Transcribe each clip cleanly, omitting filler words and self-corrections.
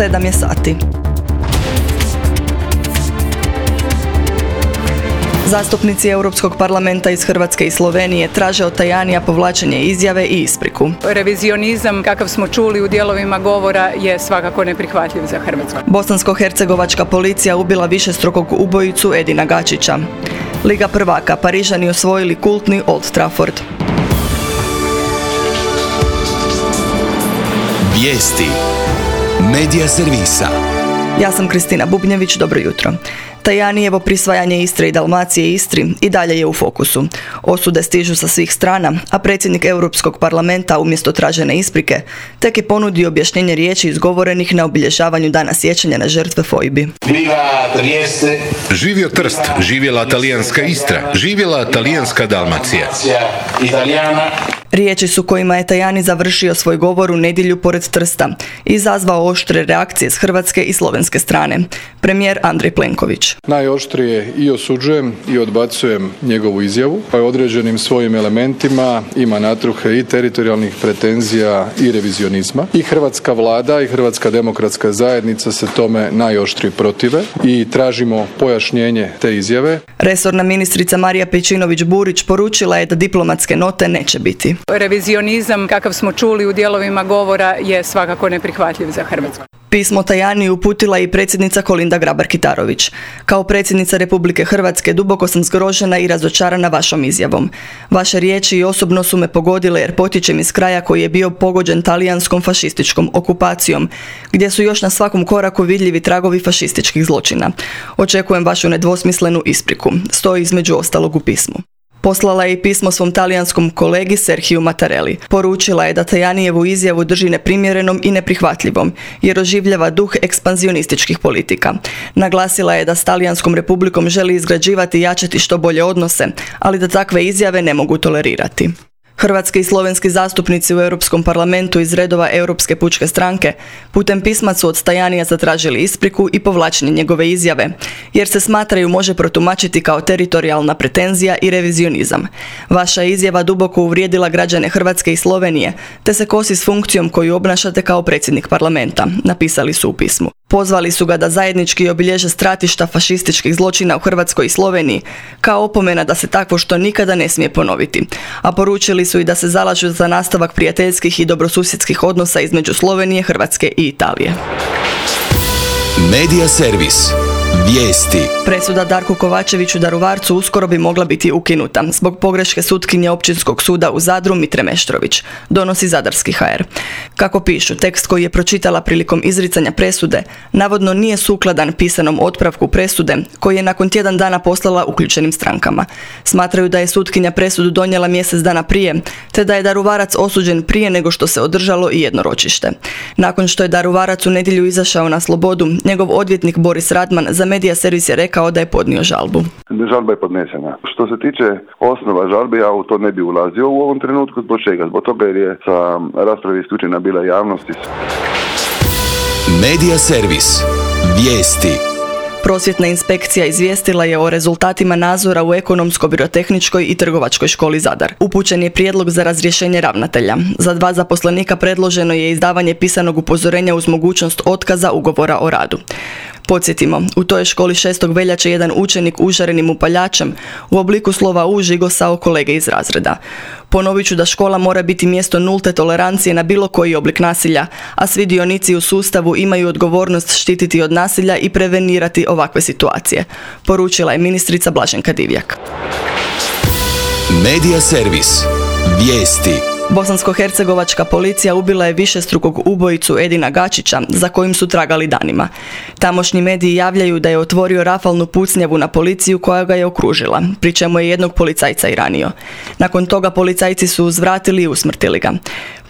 7 je sati. Zastupnici Europskog parlamenta iz Hrvatske i Slovenije traže od Tajanija povlačenje izjave i ispriku. Revizionizam, kakav smo čuli u dijelovima govora, je svakako neprihvatljiv za Hrvatsku. Bosansko-hercegovačka policija ubila višestrukog ubojicu Edina Gačića. Liga prvaka, Parižani osvojili kultni Old Trafford. Vijesti Medija servisa. Ja sam Kristina Bubnjević, dobro jutro. Tajanijevo prisvajanje Istre i Dalmacije Istri i dalje je u fokusu. Osude stižu sa svih strana, a predsjednik Europskog parlamenta umjesto tražene isprike tek je ponudio objašnjenje riječi izgovorenih na obilježavanju dana sjećanja na žrtve fojbi. Živio Trst, živjela talijanska Istra, živjela talijanska Dalmacija. Riječi su kojima je Tajani završio svoj govor u nedjelju pored Trsta i izazvao oštre reakcije s hrvatske i slovenske strane. Premijer Andrej Plenković. Najoštrije i osuđujem i odbacujem njegovu izjavu, pa je određenim svojim elementima ima natruhe i teritorijalnih pretenzija i revizionizma. I hrvatska vlada i Hrvatska demokratska zajednica se tome najoštrije protive i tražimo pojašnjenje te izjave. Resorna ministrica Marija Pejčinović-Burić poručila je da diplomatske note neće biti. Revizionizam, kakav smo čuli u dijelovima govora, je svakako neprihvatljiv za Hrvatsku. Pismo Tajaniju uputila i predsjednica Kolinda Grabar-Kitarović. Kao predsjednica Republike Hrvatske duboko sam zgrožena i razočarana vašom izjavom. Vaše riječi i osobno su me pogodile jer potječem iz kraja koji je bio pogođen talijanskom fašističkom okupacijom, gdje su još na svakom koraku vidljivi tragovi fašističkih zločina. Očekujem vašu nedvosmislenu ispriku, stoji između ostalog u pismu. Poslala je i pismo svom talijanskom kolegi Serhiju Mattarelli. Poručila je da Tajanijevu izjavu drži neprimjerenom i neprihvatljivom, jer oživljava duh ekspanzionističkih politika. Naglasila je da s Talijanskom republikom želi izgrađivati i jačati što bolje odnose, ali da takve izjave ne mogu tolerirati. Hrvatski i slovenski zastupnici u Europskom parlamentu iz redova Europske pučke stranke putem pisma su od Tajanija zatražili ispriku i povlačenje njegove izjave, jer se smatraju može protumačiti kao teritorijalna pretenzija i revizionizam. Vaša izjava duboko uvrijedila građane Hrvatske i Slovenije, te se kosi s funkcijom koju obnašate kao predsjednik parlamenta, napisali su u pismu. Pozvali su ga da zajednički obilježe stratišta fašističkih zločina u Hrvatskoj i Sloveniji, kao opomena da se takvo što nikada ne smije ponoviti. A poručili su i da se zalažu za nastavak prijateljskih i dobrosusjedskih odnosa između Slovenije, Hrvatske i Italije. Medija servis. Vijesti. Presuda Darku Kovačeviću Daruvarcu uskoro bi mogla biti ukinuta zbog pogreške sutkinje Općinskog suda u Zadru Mitre Meštrović, donosi Zadarski HR. Kako pišu, tekst koji je pročitala prilikom izricanja presude navodno nije sukladan pisanom otpravku presude koji je nakon tjedan dana poslala uključenim strankama. Smatraju da je sutkinja presudu donijela mjesec dana prije, te da je Daruvarac osuđen prije nego što se održalo i jedno ročište. Nakon što je Daruvarac u nedjelju izašao na slobodu, njegov odvjetnik Boris Radman za Medija servis je rekao da je podnio žalbu. Žalba je podnesena. Što se tiče osnova žalbe, ja u to ne bi ulazio u ovom trenutku. Zbog čega? Zbog toga jer je sa rasprave isključena bila javnost. Medija servis. Vijesti. Prosvjetna inspekcija izvijestila je o rezultatima nadzora u Ekonomsko-birotehničkoj i Trgovačkoj školi Zadar. Upućen je prijedlog za razrješenje ravnatelja. Za 2 zaposlenika predloženo je izdavanje pisanog upozorenja uz mogućnost otkaza ugovora o radu. Podsjetimo, u toj školi 6. veljače jedan učenik užarenim upaljačem u obliku slova U žigosao kolege iz razreda. Ponovit ću da škola mora biti mjesto nulte tolerancije na bilo koji oblik nasilja, a svi dionici u sustavu imaju odgovornost štititi od nasilja i prevenirati ovakve situacije, poručila je ministrica Blaženka Divjak. Medija servis. Vijesti. Bosansko-hercegovačka policija ubila je višestrukog ubojicu Edina Gačića, za kojim su tragali danima. Tamošnji mediji javljaju da je otvorio rafalnu pucnjavu na policiju koja ga je okružila, pri čemu je jednog policajca i ranio. Nakon toga policajci su uzvratili i usmrtili ga.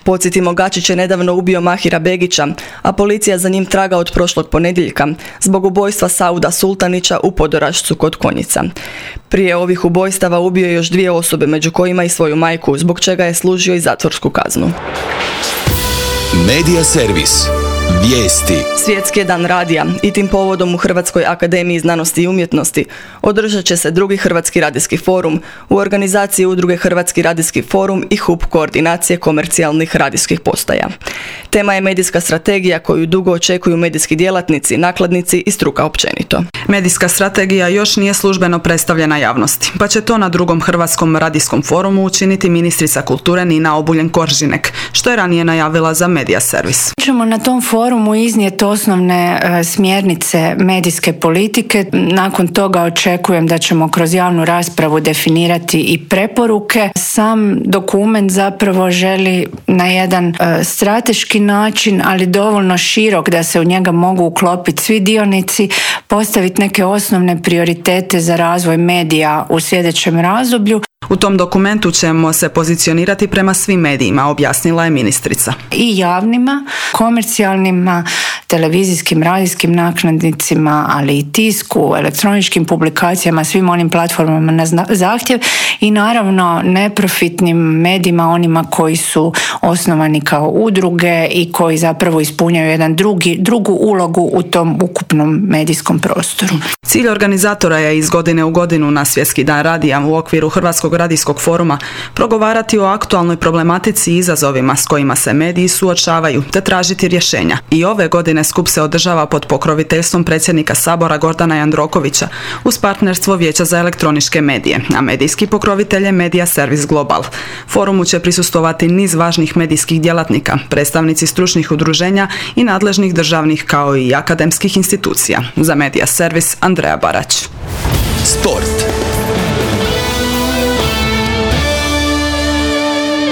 Podsjetimo, Gačić je nedavno ubio Mahira Begića, a policija za njim traga od prošlog ponedjeljka zbog ubojstva Sauda Sultanića u Podorašcu kod Konjica. Prije ovih ubojstava ubio je još 2 osobe, među kojima i svoju majku, zbog čega je služio i zatvorsku kaznu. Medija servis. Vijesti. Svjetski je dan radija i tim povodom u Hrvatskoj akademiji znanosti i umjetnosti održat će se drugi Hrvatski radijski forum u organizaciji udruge Hrvatski radijski forum i HUP koordinacije komercijalnih radijskih postaja. Tema je medijska strategija koju dugo očekuju medijski djelatnici, nakladnici i struka općenito. Medijska strategija još nije službeno predstavljena javnosti, pa će to na drugom Hrvatskom radijskom forumu učiniti ministrica kulture Nina Obuljen-Koržinek, što je ranije najavila za Media Servis. Ćemo na tom forumu iznijeti osnovne smjernice medijske politike. Nakon toga očekujem da ćemo kroz javnu raspravu definirati i preporuke. Sam dokument zapravo želi na jedan strateški način, ali dovoljno širok da se u njega mogu uklopiti svi dionici, postaviti neke osnovne prioritete za razvoj medija u sljedećem razdoblju. U tom dokumentu ćemo se pozicionirati prema svim medijima, objasnila je ministrica. I javnima, komercijalnima, televizijskim, radijskim nakladnicima, ali i tisku, elektroničkim publikacijama, svim onim platformama na zahtjev i naravno neprofitnim medijima, onima koji su osnovani kao udruge i koji zapravo ispunjaju jedan drugu ulogu u tom ukupnom medijskom prostoru. Cilj organizatora je iz godine u godinu na Svjetski dan radija u okviru Hrvatskog radijskog foruma progovarati o aktualnoj problematici i izazovima s kojima se mediji suočavaju te tražiti rješenja. I ove godine skup se održava pod pokroviteljstvom predsjednika Sabora Gordana Jandrokovića uz partnerstvo Vijeća za elektroničke medije, a medijski pokrovitelj je Media Servis Global. Forumu će prisustvovati niz važnih medijskih djelatnika, predstavnici stručnih udruženja i nadležnih državnih kao i akademskih institucija. Za Media Servis Andreja Barać. Sport.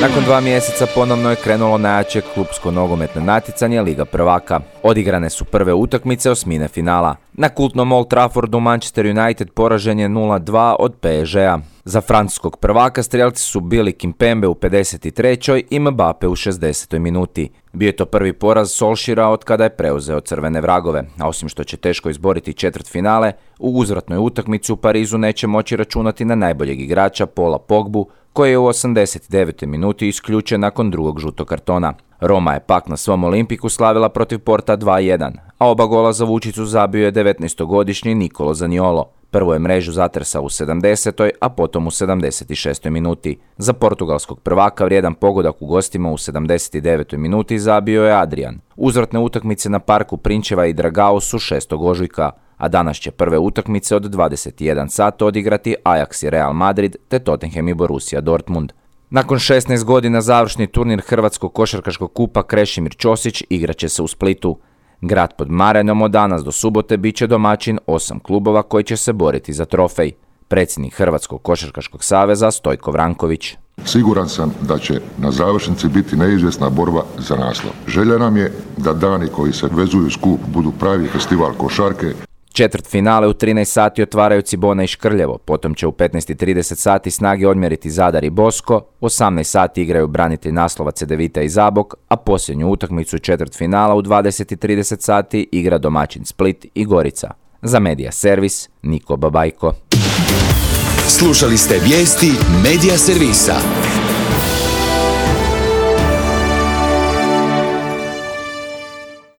Nakon 2 mjeseca ponovno je krenulo najjače klupsko nogometno natjecanje Liga prvaka. Odigrane su prve utakmice osmine finala. Na kultnom Old Traffordu Manchester United poražen je 0-2 od PSG-a. Za francuskog prvaka strijelci su bili Kimpembe u 53. i Mbappe u 60. minuti. Bio je to prvi poraz Solskjaera od kada je preuzeo crvene vragove, a osim što će teško izboriti četvrtfinale, u uzvratnoj utakmici u Parizu neće moći računati na najboljeg igrača Paula Pogbu, koji je u 89. minuti isključen nakon drugog žutog kartona. Roma je pak na svom Olimpiku slavila protiv Porta 2-1, a oba gola za Vučiću zabio je 19-godišnji Nicolo Zaniolo. Prvo je mrežu zatresao u 70. a potom u 76. minuti. Za portugalskog prvaka vrijedan pogodak u gostima u 79. minuti zabio je Adrian. Uzvratne utakmice na parku Prinčeva i Dragao su 6. ožujka, a danas će prve utakmice od 21 sata odigrati Ajax i Real Madrid te Tottenham i Borussia Dortmund. Nakon 16 godina završni turnir Hrvatskog košarkaškog kupa Krešimir Ćosić igraće se u Splitu. Grad pod Marenom od danas do subote bit će domaćin 8 klubova koji će se boriti za trofej. Predsjednik Hrvatskog košarkaškog saveza Stojko Vranković. Siguran sam da će na završnici biti neizvjesna borba za naslov. Želja nam je da dani koji se vezuju uz kup budu pravi festival košarke. Četvrtfinale u 13 sati otvaraju Cibona i Škrljevo, potom će u 15:30 sati snage odmjeriti Zadar i Bosko, u 18 sati igraju branitelj naslova Cedevita i Zabok, a posljednju utakmicu četvrtfinala u 20:30 sati igra domaćin Split i Gorica. Za Media Servis, Niko Babajko. Slušali ste vijesti Media Servisa.